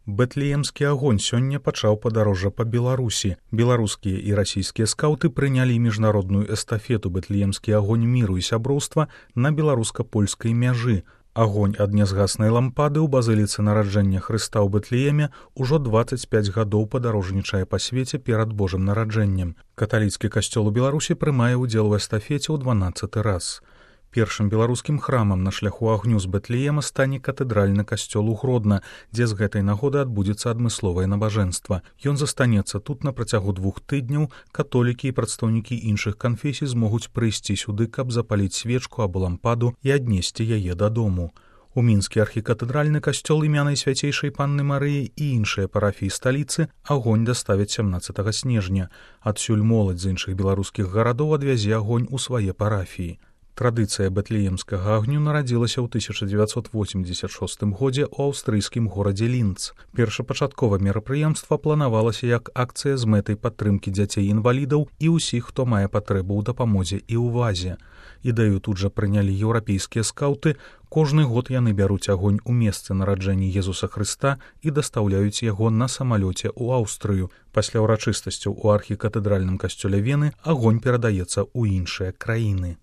Бэтлеемскі агонь сёння пачаў падарожжа па Беларусі. Беларускія і расійскія скаўты прынялі міжнародную эстафету «Бэтлеемскі агонь міру і сяброўства» на беларуска-польскай мяжы. Агонь ад нязгаснай лампады ў базыліцы нараджэння Хрыста ў Бэтлееме ўжо 25 гадоў падарожнічае па свеце перад Божым нараджэннем. Каталіцкі касцёл у Беларусі прымае ўдзел у эстафеце ў 12-ы раз. Першым беларускім храмам на шляху агню з Бэтлеема стане катэдральны касцёл у Гродна, дзе з гэтай нагоды адбудзецца адмысловае набажэнства. Ён застанецца тут на працягу 2 тыдняў. Католікі і прадстаўнікі іншых канфесій змогуць прыйсці сюды, каб запаліць свечку або лампаду і аднесці яе дадому. У мінскі архікатэдральны касцёл імя Найсвяцейшай Панны Марыі і іншыя парафіі сталіцы агонь даставяць 17 снежня. Адсюль моладзь з іншых беларускіх гарадоў адвязе агонь у свае парафіі. Традыцыя бэтлеемскага агню нарадзілася ў 1986 годзе ў аўстрыйскім горадзе Лінц. Першапачаткова мерапрыемства планавалася як акцыя з мэтай падтрымкі дзяцей-інвалідаў і ўсіх, хто мае патрэбу ў дапамозе і ўвазе. Ідэю тут жа прынялі еўрапейскія скаўты. Кожны год яны бяруць агонь у месцы нараджэння Езуса Хрыста і дастаўляюць яго на самалёце ў Аўстрыю. Пасля ўрачыстасцяў у архікатэдральным касцёле Вены агонь перадаецца ў іншыя краіны.